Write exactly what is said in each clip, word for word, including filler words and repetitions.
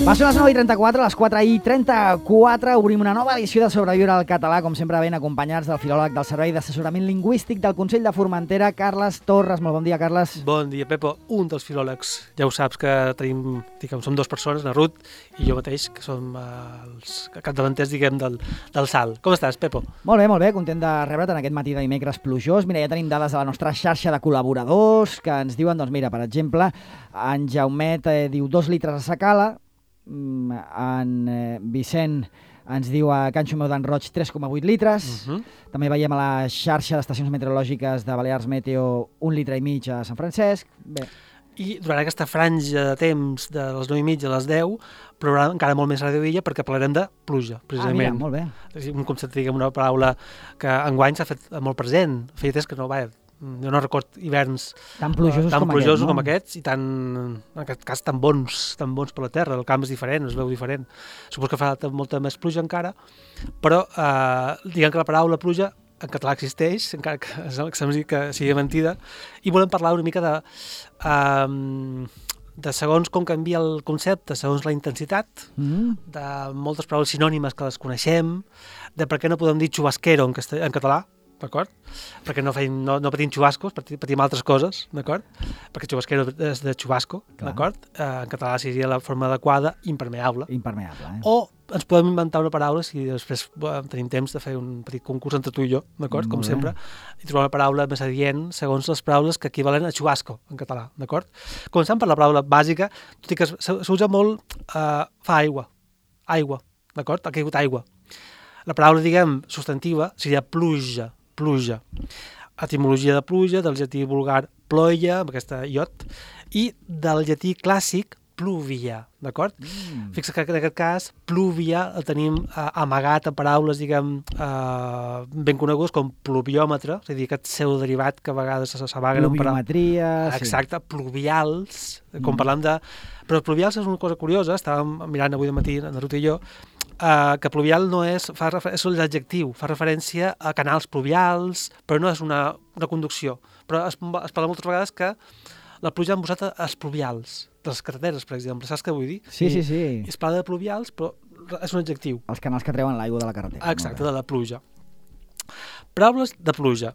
Va ser les nou i trenta-quatre, a les quatre i trenta-quatre obrim una nova edició de Sobreviure al Català, com sempre ben acompanyats del filòleg del Servei d'Assessorament Lingüístic del Consell de Formentera, Carles Torres. Molt bon dia, Carles. Bon dia, Pepo. Un dels filòlegs. Ja ho saps que tenim, diguem, som dues persones, na Ruth i jo mateix, que som eh, els capdavanters, diguem, del, del salt. Com estàs, Pepo? Molt bé, molt bé. Content de rebre't en aquest matí de dimecres plujós. Mira, ja tenim dades de la nostra xarxa de col·laboradors que ens diuen, doncs mira, per exemple, en Jaumet eh, diu dos litres a Sacala, en eh, Vicent ens diu a Can Xumeu d'en Roig tres coma vuit litres. Uh -huh. També veiem a la xarxa d'estacions meteorològiques de Balears Meteo un litre i mig a Sant Francesc. Bé. I durant aquesta franja de temps de les nou i mitja a les deu plourà encara molt més a Radio Illa perquè parlarem de pluja, precisament. Ah, mira, molt bé. És un concepte, diguem, una paraula que enguany s'ha fet molt present. Feia temps que no, vaja, jo no record hiverns tan plujosos, tan com, plujosos aquest, no? com aquests i tan, en aquest cas tan bons, tan bons per la terra. El camp és diferent, es veu diferent. Suposo que farà molta més pluja encara, però eh, diguem que la paraula pluja en català existeix, encara que, que, que sigui mentida, i volem parlar una mica de, eh, de segons com canvia el concepte, segons la intensitat, mm. de moltes paraules sinònimes que les coneixem, de per què no podem dir xubasquero en, en català, d'acord? Perquè no, feim, no, no patim xubascos, patim altres coses, d'acord? Perquè xubasquero és de xubasco, d'acord? Eh, en català seria la forma adequada, impermeable. Impermeable, eh? O ens podem inventar una paraula, si després eh, tenim temps de fer un petit concurs entre tu i jo, d'acord? Com sempre, i trobar una paraula més adient segons les paraules que equivalen a xubasco, en català, d'acord? Començant per la paraula bàsica, tot i que s'usa molt eh, fa aigua, aigua, d'acord? Ha caigut aigua. La paraula, diguem, substantiva seria pluja, pluja. Etimologia de pluja, del llatí vulgar ploia, amb aquesta iot, i del llatí clàssic pluvia, d'acord? Mm. Fixa que en aquest cas pluvia el tenim eh, amagat en paraules, diguem, eh, ben conegudes com pluviòmetre, és a dir, aquest pseudoderivat que a vegades s'amaguen en paraules. Pluviometria... Exacte, sí. Pluvials, Mm. com parlant de... Però pluvials és una cosa curiosa, estàvem mirant avui de matí, en Ruth i jo, Uh, que pluvial no és, fa refer- és l'adjectiu, fa referència a canals pluvials, però no és una, una conducció. Però es, es parla moltes vegades que la pluja ha embosat els pluvials, de les carreteres, per exemple. Saps què vull dir? Sí, sí, sí. I es parla de pluvials, però és un adjectiu. Els canals que treuen l'aigua de la carretera. Exacte, de la pluja. Paraules de pluja.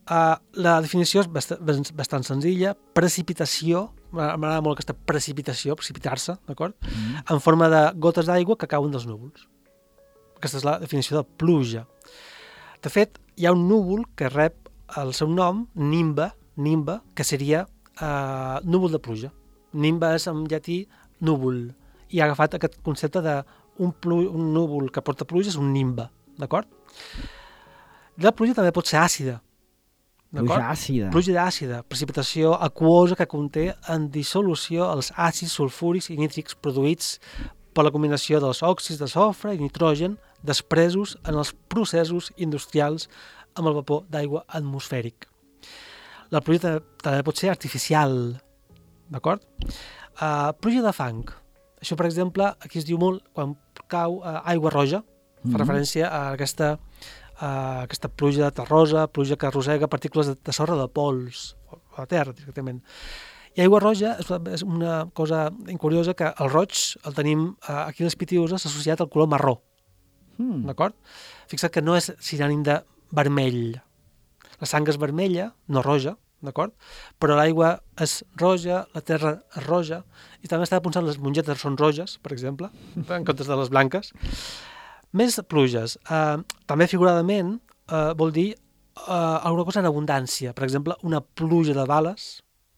Uh, la definició és bast bastant senzilla. Precipitació, m'agrada molt aquesta precipitació, precipitar-se, d'acord? Mm. En forma de gotes d'aigua que cauen dels núvols. Aquesta és la definició de pluja. De fet, hi ha un núvol que rep el seu nom, nimba, nimba, que seria uh, núvol de pluja. Nimba és en llatí núvol, i ha agafat aquest concepte de un, un núvol que porta pluja és un nimba, d'acord? La pluja també pot ser àcida. Pluja àcida. Pluja àcida, precipitació aquosa que conté en dissolució els àcids sulfúrics i nítrics produïts per la combinació dels òxids de sofre i nitrogen despresos en els processos industrials amb el vapor d'aigua atmosfèric. La pluja també pot ser artificial, d'acord? Uh, pluja de fang. Això, per exemple, aquí es diu molt quan cau uh, aigua roja, fa mm-hmm. referència a aquesta... Uh, aquesta pluja de terrosa, pluja que arrossega partícules de, de sorra de pols a la terra directament. I aigua roja és una, és una cosa incuriosa que el roig el tenim uh, aquí a les Pitiüses associat al color marró. Mm. D'acord? Fixa't que no és sinònim de vermell. La sang és vermella, no roja, d'acord? Però l'aigua és roja, la terra és roja, i també estava pensant les mongetes són roges, per exemple, en comptes de les blanques. Més pluges. Uh, també figuradament uh, vol dir uh, alguna cosa en abundància. Per exemple, una pluja de bales.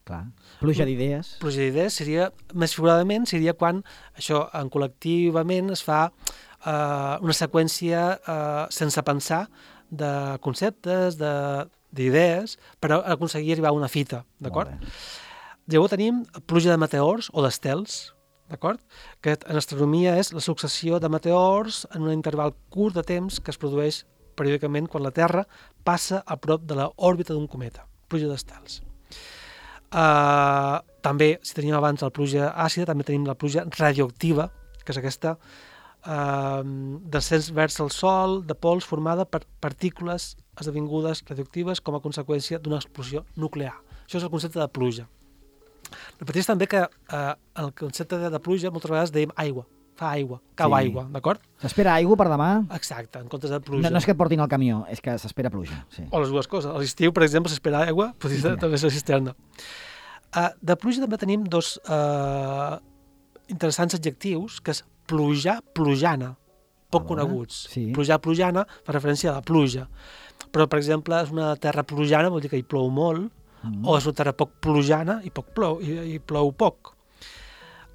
Clar. Pluja d'idees. Pluja d'idees seria, més figuradament, seria quan això en col·lectivament es fa uh, una seqüència uh, sense pensar de conceptes, de d'idees per aconseguir arribar a una fita, d'acord? Llavors tenim pluja de meteors o d'estels, d'acord? Que en astronomia és la successió de meteors en un interval curt de temps que es produeix periòdicament quan la Terra passa a prop de l'òrbita d'un cometa, pluja d'estels. Uh, també, si teníem abans la pluja àcida, també tenim la pluja radioactiva, que és aquesta uh, descens vers el Sol de pols formada per partícules esdevingudes radioactives com a conseqüència d'una explosió nuclear. Això és el concepte de pluja. Repeteix també que uh, el concepte de, de pluja moltes vegades dèiem aigua, fa aigua, cau Sí. aigua, d'acord? S'espera aigua per demà? Exacte, en comptes de pluja. No, no és que et portin el camió, és que s'espera pluja. Sí. O les dues coses. A l'estiu, per exemple, s'espera aigua, potser Sí. també és la cisterna. Uh, de pluja també tenim dos uh, interessants adjectius, que és plujar, plujana, poc A veure, coneguts. sí. Plujar, plujana, fa referència a la pluja. Però, per exemple, és una terra plujana, vol dir que hi plou molt, Mm. o és una terra poc plujana i poc plou, i, i plou poc.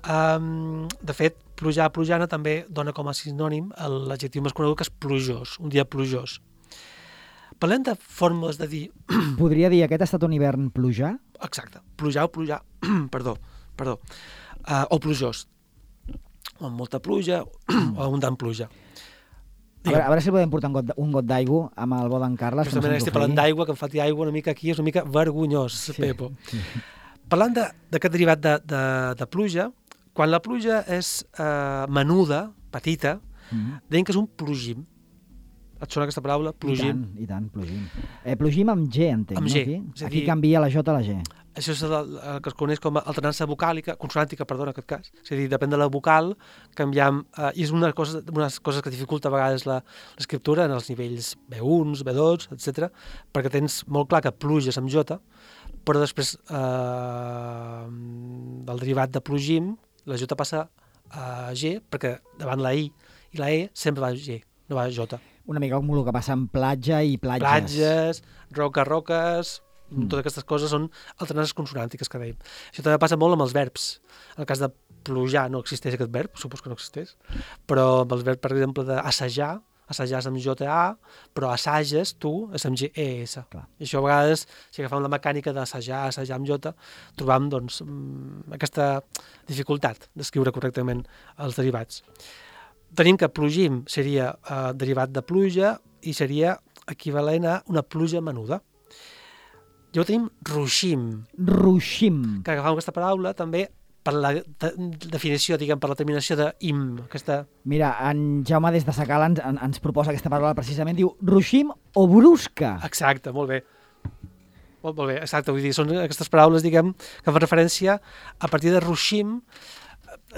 Um, de fet, plujar, plujana també dona com a sinònim l'adjectiu més conegut, que és plujós, un dia plujós. Parlem de formes de dir... Podria dir aquest ha estat un hivern plujar? Exacte, plujar o plujar, perdó, perdó, uh, o plujós, o amb molta pluja, o abundant pluja. A veure, a veure si podem portar un got, de- un got d'aigua amb el bo d'en Carles. que no Justament se'ns estic parlant ofegui. d'aigua, que em falti aigua una mica aquí, és una mica vergonyós, Sí, Pepo. sí. Parlant de- d'aquest derivat de, de, de pluja, quan la pluja és uh, menuda, petita, Mm. deien que és un plugim. Et sona aquesta paraula? I Plugim. tant, i tant, plugim. Eh, plugim amb G, entenc, Amb no? G, Aquí, és a aquí dir- canvia la J a la G. Això és el, el que es coneix com a alternança vocàlica, consonàntica, perdona, en aquest cas. És a dir, depèn de la vocal, canviam... Eh, I és una cosa, unes coses que dificulta a vegades la- l'escriptura en els nivells B u, B dos, etcètera, perquè tens molt clar que pluges amb J, però després eh, del derivat de plugim, la J passa a G, perquè davant la I i la E sempre va a G, no va a J. Una mica com el que passa amb platja i platges. Platges, roques, roques, Mm. mm. totes aquestes coses són alternances consonàntiques que dèiem. Això també passa molt amb els verbs. En el cas de plujar no existeix aquest verb, supos que no existeix, però amb els verbs, per exemple, d'assajar, assajar és amb J A, però assages, tu, és amb G E S. Clar. I això a vegades, si agafam la mecànica d'assajar, assajar amb J, trobam doncs, mm, aquesta dificultat d'escriure correctament els derivats. Tenim que plugim seria eh, derivat de pluja i seria equivalent a una pluja menuda. Llavors tenim ruixim, Ruixim. que agafam aquesta paraula també per la de definició, diguem, per la terminació de im, aquesta... Mira, en Jaume des de Sacala ens, en- ens proposa aquesta paraula precisament, diu ruixim o brusca. Exacte, molt bé. Molt, molt bé, exacte, vull dir, són aquestes paraules, diguem, que fan referència a partir de ruixim.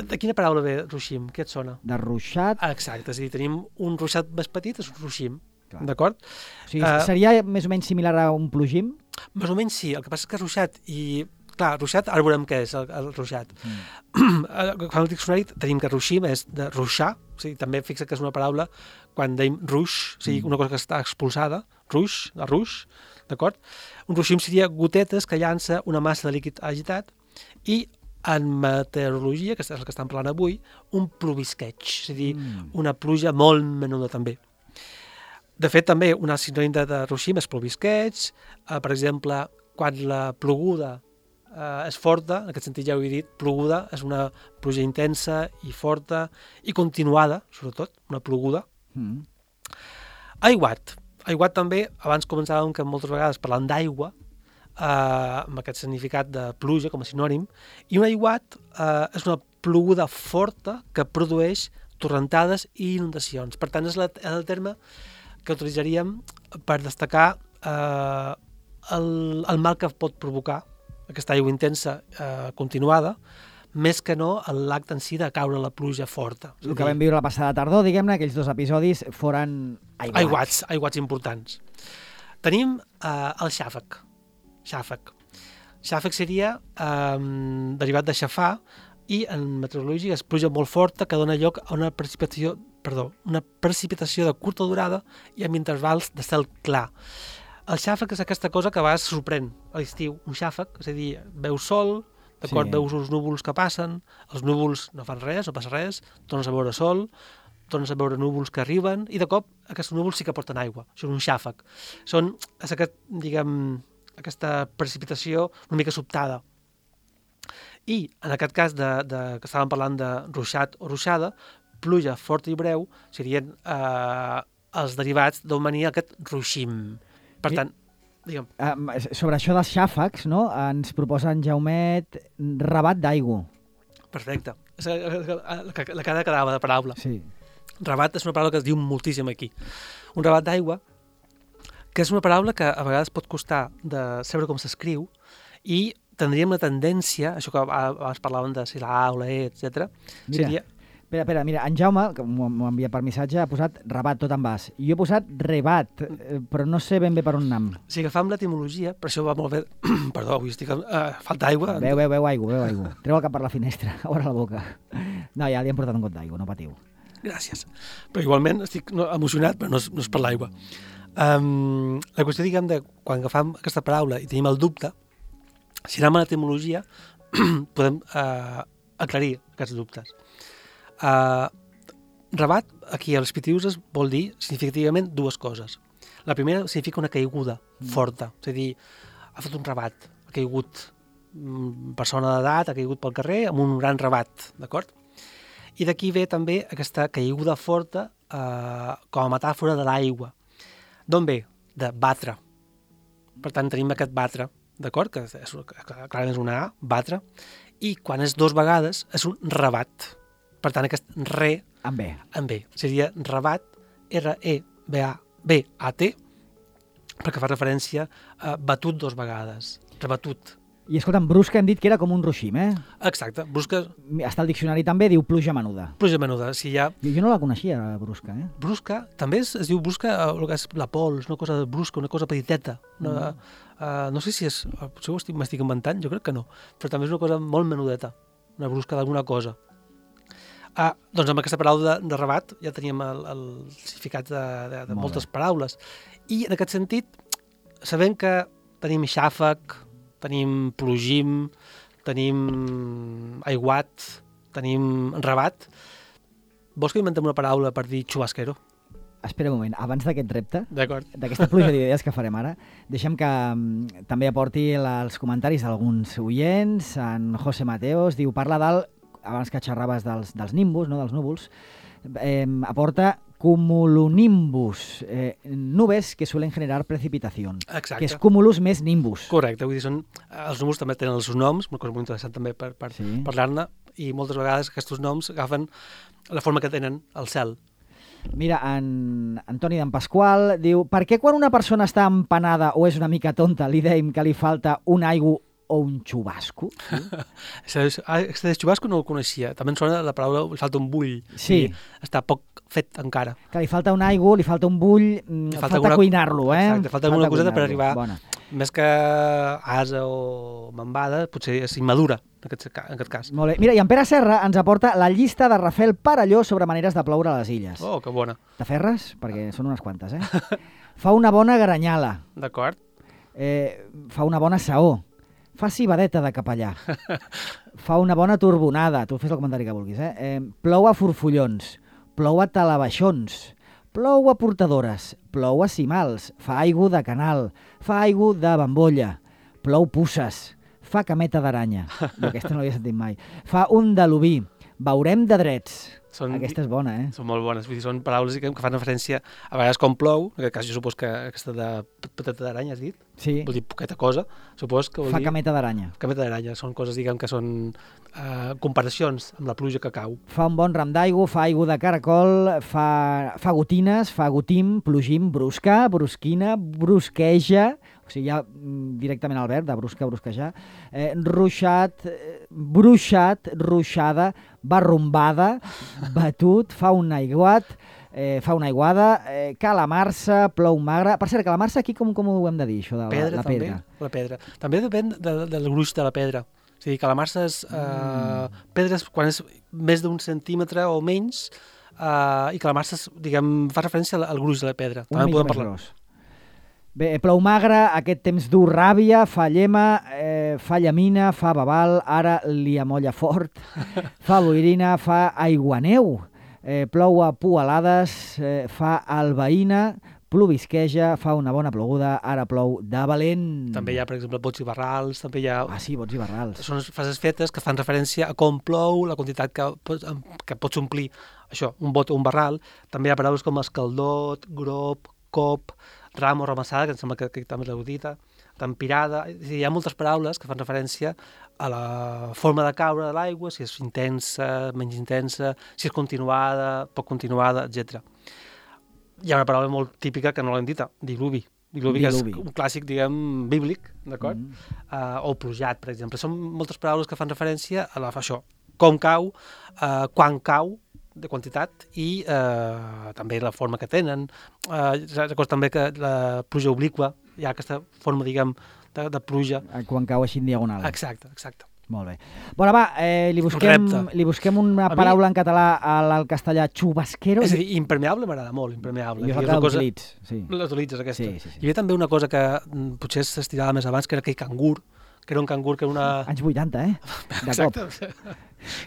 De quina paraula ve ruixim? Què et sona? De ruixat. Ah, exacte, és a dir, tenim un ruixat més petit, és un ruixim, Clar. d'acord? O sigui, eh, seria més o menys similar a un plugim? Més o menys sí, el que passa és que ruixat i... Clar, ruixat, ara veurem què és el, el ruixat. Mm. Quan el diccionari tenim que ruixim és de ruixar, o sigui, també fixa que és una paraula quan deim ruix, o sigui, una cosa que està expulsada, ruix, de ruix, d'acord? Un ruixim seria gotetes que llança una massa de líquid agitat i en meteorologia, que és el que estem parlant avui, un plovisqueig, és a dir, Mm. una pluja molt menuda també. De fet, també una sinònim de, de ruixim és plovisqueig, eh, per exemple, quan la ploguda eh, és forta, en aquest sentit ja ho he dit, ploguda és una pluja intensa i forta i continuada, sobretot, una ploguda. Mm. Aiguat. Aiguat també, abans començàvem que moltes vegades parlant d'aigua, eh, amb aquest significat de pluja com a sinònim, i un aiguat eh, és una ploguda forta que produeix torrentades i inundacions. Per tant, és, la, és el terme que utilitzaríem per destacar eh, el, el mal que pot provocar aquesta aigua intensa eh, continuada, més que no l'acte en si de caure la pluja forta. És a El que dir, vam viure la passada tardor, diguem-ne, aquells dos episodis foren aiguats. Aiguats, aiguats importants. Tenim eh, el xàfec. Xàfec. Xàfec seria eh, derivat de xafar i en meteorologia és pluja molt forta que dona lloc a una precipitació, perdó, una precipitació de curta durada i amb intervals de cel clar. El xàfec és aquesta cosa que a vegades sorprèn a l'estiu, un xàfec, és a dir, veus sol, d'acord, Sí. veus uns núvols que passen, els núvols no fan res, no passa res, tornes a veure sol, tornes a veure núvols que arriben, i de cop aquests núvols sí que porten aigua. Això és un xàfec. Són, és aquest, diguem, aquesta precipitació una mica sobtada. I, en aquest cas, de, de, que estàvem parlant de ruixat o ruixada, pluja forta i breu serien eh, els derivats d'on venia aquest ruixim. Per tant, digue'm. Um, sobre això dels xàfecs, no? Ens proposa en Jaumet rabat d'aigua. Perfecte. És la, la, la cara quedava de paraula. Sí. Rabat és una paraula que es diu moltíssim aquí. Un rabat d'aigua, que és una paraula que a vegades pot costar de saber com s'escriu, i tindríem la tendència, això que abans parlàvem de si la A o la E, etcètera. Mira, seria... espera, espera, mira, en Jaume, que m'ho m'ho envia per missatge, ha posat rabat tot en bas. Jo he posat rebat, eh, però no sé ben bé per on anam. Si agafam l'etimologia, per això va molt bé... Perdó, avui estic... Uh, falta aigua. Veu, veu, veu aigua, veu aigua. Treu el cap per la finestra, obre la boca. No, ja li hem portat un got d'aigua, no patiu. Gràcies. Però igualment estic no, emocionat, però no és, no és per l'aigua. Um, la qüestió, diguem, de quan agafam aquesta paraula i tenim el dubte, si anem a l'etimologia, podem uh, aclarir aquests dubtes. Uh, rabat, aquí a les pitiuses, vol dir significativament dues coses. La primera significa una caiguda forta, és a dir, ha fet un rabat, ha caigut mm, persona d'edat, ha caigut pel carrer amb un gran rabat, d'acord? I d'aquí ve també aquesta caiguda forta uh, com a metàfora de l'aigua. D'on ve? De batre. Per tant, tenim aquest batre, d'acord? Que és, clarament és una A, batre, i quan és dos vegades és un rabat. Per tant, aquest re En B. en B. Seria rabat, R E B A B A T, perquè fa referència a batut dos vegades, rebatut. I escolta'm, brusca hem dit que era com un ruixim, eh? Exacte, brusca, Està al diccionari també, diu pluja menuda. pluja menuda. Si hi ha Jo, jo no la coneixia, la brusca, eh? brusca, també es, es diu brusca, eh, el que és la pols, una cosa brusca, una cosa petiteta. Una, Mm. uh, no sé si és, potser ho estic, m'estic inventant, jo crec que no, però també és una cosa molt menudeta, una brusca d'alguna cosa. Ah, doncs amb aquesta paraula de, de rabat ja teníem el, el significat de, de, de Molt moltes bé. paraules. I en aquest sentit, sabem que tenim xàfec, tenim plogim, tenim aiguat, tenim rabat. Vols que inventem una paraula per dir xubasquero? Espera un moment, abans d'aquest repte, D'acord. d'aquesta pluja d'idees que farem ara, deixem que mm, també aporti la, els comentaris d'alguns oients. En José Mateos diu, parla del, abans que xerraves dels, dels nimbus, no, dels núvols, eh, aporta cumulonimbus, eh, nubes que suelen generar precipitación, Exacte. que és cumulus més nimbus. Correcte, vull dir, són, els núvols també tenen els seus noms, una cosa molt interessant també per, per Sí. parlar-ne, i moltes vegades aquests noms agafen la forma que tenen al cel. Mira, en Antoni d'en Pasqual diu, per què quan una persona està empanada o és una mica tonta li deim que li falta un aigua o un xubasco? Aquest de xubasco no el coneixia. També em sona la paraula, li falta un bull. Sí. I està poc fet encara. Que li falta un aigua, li falta un bull, mm, Li falta, falta alguna- cuinar-lo, eh? Exacte, falta alguna coseta per cuinar-lo. arribar- Bona. Més que asa o mambada, potser és immadura, en aquest, ca- en aquest cas. Molt bé. Mira, i en Pere Serra ens aporta la llista de Rafael Parelló sobre maneres de ploure a les illes. Oh, que bona. T'aferres? Perquè són unes quantes, eh? Fa una bona garanyala, D'acord. eh, fa una bona saó, fa cibadeta de capellà, fa una bona turbonada, tu fes el comentari que vulguis, eh? eh plou a forfollons, plou a talabaixons, plou a portadores, plou a cimals, fa aigua de canal, fa aigua de bambolla, plou pusses, fa cameta d'aranya, jo aquesta no l'havia sentit mai, fa un de l'oví, veurem de drets. Són, Aquesta és bona, eh? són molt bones. Vull dir, són paraules que fan referència a vegades com plou, en aquest cas jo supos que aquesta de petita d'aranya has dit, Sí, vol dir poqueta cosa, supos que vol fa dir cameta d'aranya. cameta d'aranya. Són coses, diguem, que són uh, comparacions amb la pluja que cau. Fa un bon ram d'aigua, fa aigua de caracol, fa, fa gotines, fa gotim, plogim, brusca, brusquina, brusqueja, o sigui, ja mm, directament al verb, de brusca, brusquejar, eh, ruixat, eh, bruixat, ruixada, barrumbada, batut, fa un aiguat, eh, fa una aiguada, eh, calamarsa, plou magre... Per cert, calamarsa aquí com, com ho hem de dir, això de la, Pedra, la també. pedra? La pedra. També depèn de, del gruix de la pedra. És a dir, que la marsa és... Eh, Mm. pedres, quan és més d'un centímetre o menys, eh, i que la marsa, és, diguem, fa referència al, al gruix de la pedra. Una També en mica podem més parlar. gros. Bé, plou magre, aquest temps dur ràbia, fa llema, eh, fa llamina, fa babal, ara li amolla fort, fa boirina, fa aiguaneu, eh, plou a pualades, eh, fa albaïna, plovisqueja, fa una bona ploguda, ara plou de valent. També hi ha, per exemple, bots i barrals, també hi ha... Ah, sí, bots i barrals. Són frases fetes que fan referència a com plou, la quantitat que, que pots omplir, això, un bot o un barral. També hi ha paraules com escaldot, grop, cop, ram o ramassada, que em sembla que, que també l'heu dit, tempirada. Hi ha moltes paraules que fan referència a la forma de caure de l'aigua, si és intensa, menys intensa, si és continuada, poc continuada, etcètera. Hi ha una paraula molt típica que no l'hem dita, diluvi. Diluvi, que és un clàssic, diguem, bíblic, d'acord? Mm. Uh, o plujat, per exemple. Són moltes paraules que fan referència a la, a això, com cau, uh, quan cau, de quantitat, i uh, també la forma que tenen. Uh, recordo també que la pluja obliqua, hi ha aquesta forma, diguem, de, de pluja. Quan cau així en diagonal. Exacte, exacte. Molt bé. Bueno, va, eh, li, busquem, li busquem una a paraula mi... en català al, al castellà, xubasquero. És a dir, impermeable m'agrada molt, impermeable. Jo la cosa... l'utilitz, sí. L'utilitzes, aquesta. Sí, sí, sí. Hi havia també una cosa que m, potser s'estirava més abans, que era aquell cangur, que era un cangur que era una... Anys vuitanta, eh? De Exacte. cop.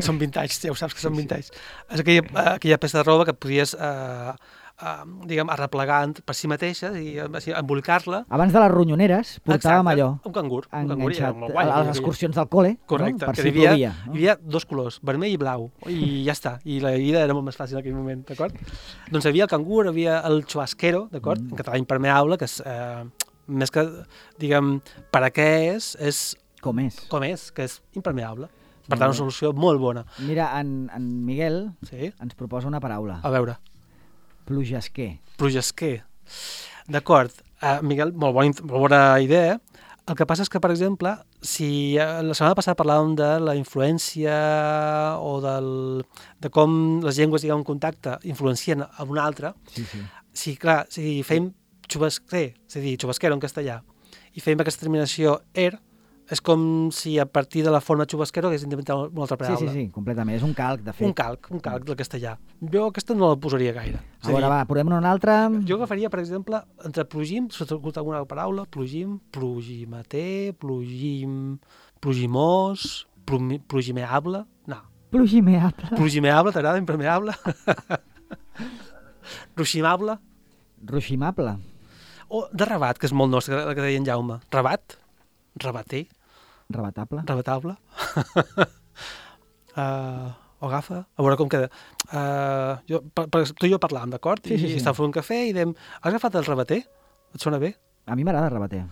Són vintage, ja ho saps que són vintage. És aquella, aquella peça de roba que podies... Eh, Uh, diguem, arreplegant per si mateixa i així, embolicar-la. Abans de les ronyoneres portàvem allò. Un cangur. Un cangur guai, a les excursions del col·le. Correcte. No? Per que si hi havia, plovia. No? Hi havia dos colors, vermell i blau, i ja està. I la vida era molt més fàcil en aquell moment, d'acord? Doncs hi havia el cangur, hi havia el chubasquero, d'acord? Mm. En català impermeable, que és, eh, més que, diguem, per a què és, és... Com és. Com és, que és impermeable. Per tant, una solució molt bona. Mira, en, en Miguel sí? ens proposa una paraula. A veure. Plugesquer. Plugesquer. D'acord. Uh, Miguel, molt bona, molt bona idea. El que passa és que, per exemple, si uh, la setmana passada parlàvem de la influència o del, de com les llengües, diguem, en contacte influencien a una altra, sí, sí. si, clar, si fem xubasquer, és a dir, xubasquero en castellà, i fem aquesta terminació er, és com si a partir de la forma xubasquero hagués inventat una altra paraula. Sí, sí, sí, completament. És un calc, de fet. Un calc, un calc del castellà. Jo aquesta no la posaria gaire. A veure, va, posem una altra. Jo agafaria, per exemple, entre plugim, si t'ha alguna paraula, plugim, plugimater, plugim, plugimós, plugimeable, no. Plugimeable. Plugimeable, t'agrada, impermeable? Ruiximable. Ruiximable. O de rabat, que és molt nostre, la que deia en Jaume. Rabat, rabater. Rebatable. Rebatable. uh, o agafa. A veure com queda. Uh, jo, per, per, tu i jo parlàvem, d'acord? Sí, sí, I sí. estàvem fent un cafè i dèiem, has agafat el rebater? Et sona bé? A mi m'agrada rebater.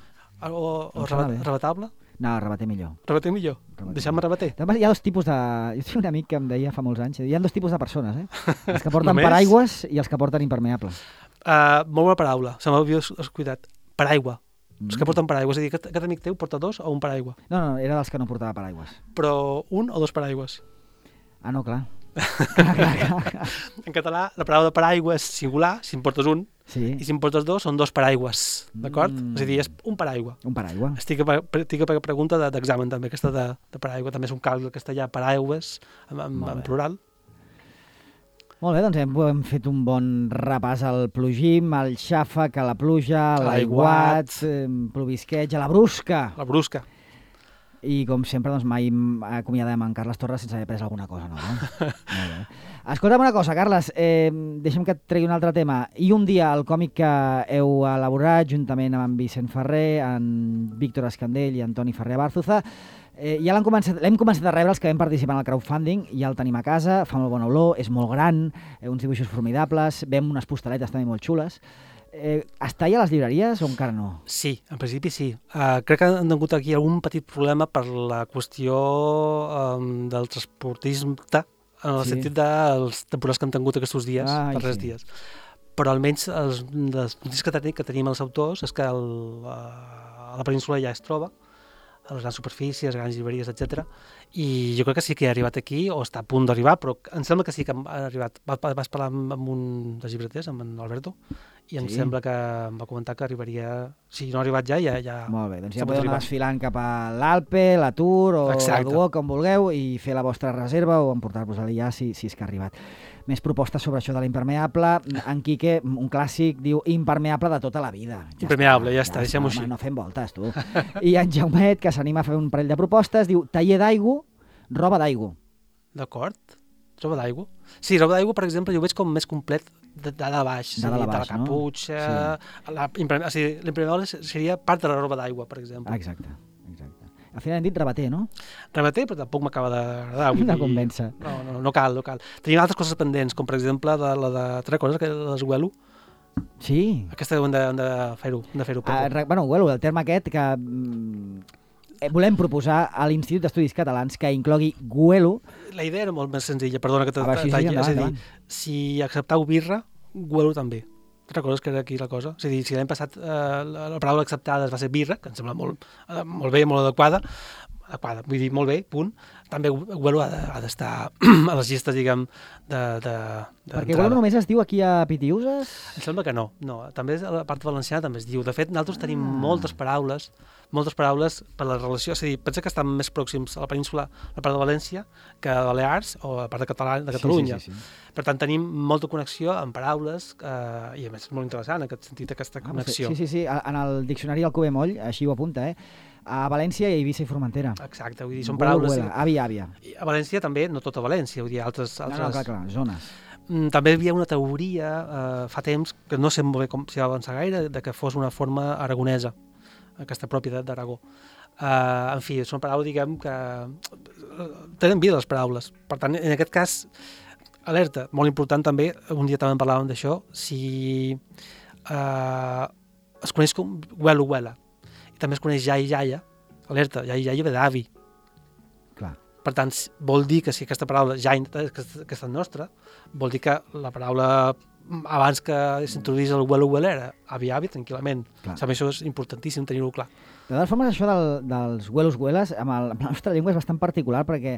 O, o rebat, rebatable? No, rebater millor. Rebater millor? Deixem-me rebater. Hi ha dos tipus de... Jo tinc un amic que em deia fa molts anys, hi ha dos tipus de persones, eh? Els que porten paraigües i els que porten impermeable. Uh, molt bona paraula, se m'havia cuidat. Paraigua. Mm. Els que porten paraigües, és a dir, aquest, aquest amic teu porta dos o un paraigua? No, no, era dels que no portava paraigües. Però un o dos paraigües? Ah, no, clar. clar, clar, clar. En català, la paraula de paraigua és singular, si en portes un, sí. I si en portes dos, són dos paraigües, d'acord? Mm. És a dir, és un paraigua. Un paraigua. Estic a, estic a pregunta d'examen, també, aquesta de, de paraigua. També és un calc del castellà, paraigües, en, en, en plural. Molt bé, doncs hem, hem fet un bon repàs al plugim, al xàfec, a la pluja, a l'aiguat, eh, plovisqueig, a la brusca. La brusca. I com sempre, doncs mai acomiadem en Carles Torres sense haver pres alguna cosa nova. No? Molt bé. Escolta'm una cosa, Carles, eh, deixa'm que et tregui un altre tema. I un dia, el còmic que heu elaborat juntament amb en Vicent Ferrer, en Víctor Escandell i Antoni Ferrer Bárzuza, Eh, ja l'hem començat, l'hem començat a rebre els que vam participar en el crowdfunding, ja el tenim a casa, fa molt bona olor, és molt gran, eh, uns dibuixos formidables, veiem unes postaletes també molt xules. Eh, està ja a les llibreries o encara no? Sí, en principi sí. Uh, crec que han tingut aquí algun petit problema per la qüestió um, del transportisme, en el sí. sentit dels temporals que han tingut aquests dies, ah, per tres sí. dies. Però almenys els, les notícies que, ten, que tenim els autors és que el, uh, a la península ja es troba, a les grans superfícies, grans llibreries, etcètera. I jo crec que sí que ha arribat aquí, o està a punt d'arribar, però em sembla que sí que ha arribat. Vas parlar amb, amb un dels llibreters, amb en Alberto, i em sí. sembla que em va comentar que arribaria... Si no ha arribat ja, ja... ja Molt bé, doncs ja podeu anar desfilant cap a l'Alpe, la Tour o Exacte. La Duo, com vulgueu, i fer la vostra reserva o emportar-vos-la ja si, si és que ha arribat. Més propostes sobre això de l'impermeable. En Quique, un clàssic, diu impermeable de tota la vida. Ja impermeable, està, ja està, ja deixem-ho així. No fem voltes, tu. I en Jaumet, que s'anima a fer un parell de propostes, diu taller d'aigua, roba d'aigua. D'acord. Roba d'aigua? Sí, roba d'aigua, per exemple, jo ho veig com més complet de dalt a baix. De dalt a de la baix, no? caputxa... Sí. La, o sigui, l'impermeable seria part de la roba d'aigua, per exemple. Exacte, exacte. Al final hem dit rebater, no? Rebater, però tampoc m'acaba d'agradar. No convença. No, no, no cal, no cal. Tenim altres coses pendents, com per exemple de, la de... Te'n recordes que les huelo? Sí. Aquesta hem de, hem de fer-ho. Hem de fer-ho. Ah, re- bueno, huelo, el terme aquest que mm, eh, volem proposar a l'Institut d'Estudis Catalans que inclogui huelo. La idea era molt més senzilla, perdona que A veure, sí, sí, t'atalli. endavant, És a dir, endavant. si acceptau birra, huelo també. Te'n recordes que era aquí la cosa? És a dir, si l'any passat eh, la, la paraula acceptada va ser birra, que em sembla molt, eh, molt bé, molt adequada, adequada, vull dir, molt bé, punt, també huelo ha de- ha d'estar a les llistes, diguem, de, de, de Perquè huelo només es diu aquí a Pitiuses? Em sembla que no, no. També a la part valenciana també es diu. De fet, nosaltres tenim Ah. moltes paraules, moltes paraules per la relació, és a dir, pensa que estan més pròxims a la península, a la part de València, que a Balears o a la part de, Català, de Catalunya. Sí, sí, sí, sí. Per tant, tenim molta connexió amb paraules eh, i a més és molt interessant en aquest sentit, aquesta Ah, connexió. sí, sí, sí. A- En el diccionari del Cove Moll, així ho apunta, eh? A València, i a Eivissa i Formentera. Exacte, vull dir, són Huelo, paraules... huela, àvia, àvia. I a València també, no tota València, vull dir, altres... No, altres... no, clar, clar, zones. Mm, També hi havia una teoria eh, fa temps, que no sé molt bé com s'hi va avançar gaire, de que fos una forma aragonesa, aquesta pròpia d'Aragó. Uh, en fi, són paraules, diguem, que eh, tenen vida les paraules. Per tant, en aquest cas, alerta, molt important també, un dia també en parlàvem d'això, si uh, es coneix com huelo, huela, i també es coneix ja i jaia, alerta, ja i jaia ve d'avi. Clar. Per tant, s- vol dir que si aquesta paraula ja que, que és nostra, vol dir que la paraula mm, abans que s'introduís el huelo huela era avi avi tranquil·lament. Clar. També això és importantíssim tenir-ho clar. De totes formes, això del, dels huelos hueles, amb, el, amb la nostra llengua és bastant particular perquè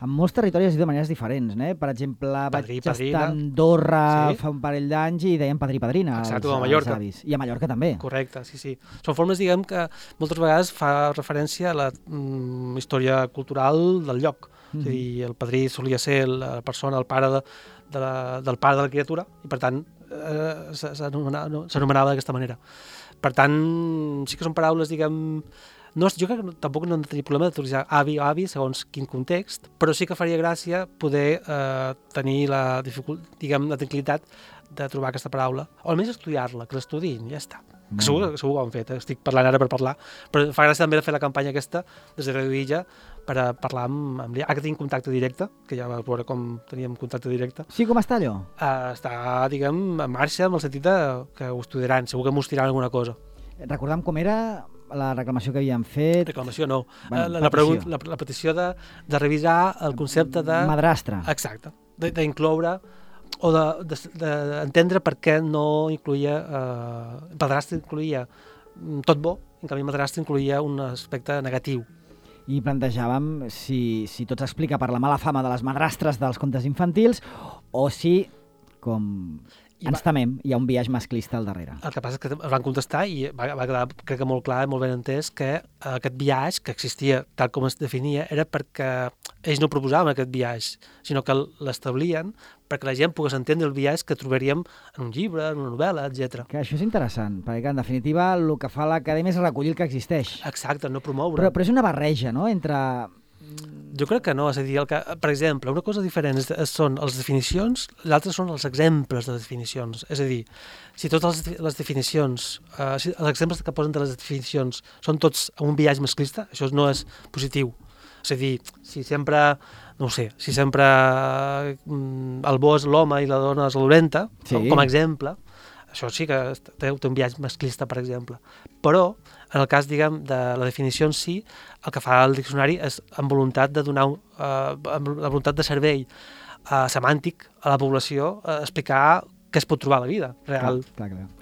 en molts territoris es diu de maneres diferents. Eh? Per exemple, Padrí, vaig padrina. estar a Andorra Sí. fa un parell d'anys i deien padrí, padrina. Exacte, als- o a Mallorca. als avis. I a Mallorca també. Correcte, sí, sí. Són formes, diguem, que moltes vegades fa referència a la mm, història cultural del lloc. Mhm. És a dir, el padrí solia ser la persona, el pare de, de la, del pare de la criatura, i per tant eh, s- s'anomenava no, s'anomenava d'aquesta manera. Per tant, sí que són paraules, diguem... No, jo crec que no, tampoc no hem de tenir problema d'utilitzar avi o avi segons quin context, però sí que faria gràcia poder eh, tenir la, dificult, diguem, la tranquil·litat de trobar aquesta paraula, o almenys estudiar-la, que l'estudiïn, ja està. Que segur, que segur que ho han fet, eh? Estic parlant ara per parlar, però fa gràcia també de fer la campanya aquesta des de Radio Illa per a parlar amb, amb l'I A. Ara que tenim contacte directe, que ja vas veure com teníem contacte directe, Sí, com està allò? eh, està, diguem, en marxa amb el sentit de que ho estudiaran, segur que mostraran alguna cosa. Recordam com era la reclamació que havien fet. Reclamació no. Bueno, Eh, la, la, petició. pregunta, la, la petició de, de revisar el concepte de... Madrastra. Exacte. de- D'incloure o d'entendre de, de, per què no incluïa... Eh, padrastre incluïa mm, tot bo, en canvi madrastre incluïa un aspecte negatiu. I plantejàvem si, si tot s'explica per la mala fama de les madrastres dels contes infantils o si, com I ens va- temem, hi ha un biaix masclista al darrere. El que passa és que es van contestar i va, va quedar, crec que molt clar i molt ben entès, que eh, aquest biaix que existia tal com es definia era perquè ells no proposaven aquest biaix, sinó que l'establien perquè la gent pogués entendre el biaix que trobaríem en un llibre, en una novel·la, etcètera. Que això és interessant, perquè en definitiva el que fa l'acadèmia és recollir el que existeix. Exacte, no promoure. Però, però és una barreja, no?, entre... Jo crec que no, és a dir, el que, per exemple, una cosa diferent és, és, són les definicions, l'altra són els exemples de definicions. És a dir, si totes les, les definicions, eh, si els exemples que posen de les definicions són tots amb un biaix masclista, això no és positiu. És a dir, si sempre, no ho sé, si sempre mm, el bo és l'home i la dona és la dolenta, Sí. com, com a exemple, això sí que té, té un biaix masclista, per exemple. Però, en el cas, diguem, de la definició en si, el que fa el diccionari és amb voluntat de donar, un, eh, amb la voluntat de servei eh, semàntic a la població, eh, explicar què es pot trobar a la vida real. Clar, clar, clar.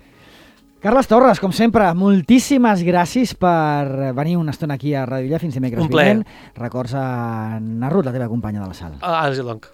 Carles Torres, com sempre, moltíssimes gràcies per venir una estona aquí a Radio Illa fins dimecres Un plaer. vinent. Records a Narrut, la teva companya de la sala. Ah, ara sí, doncs.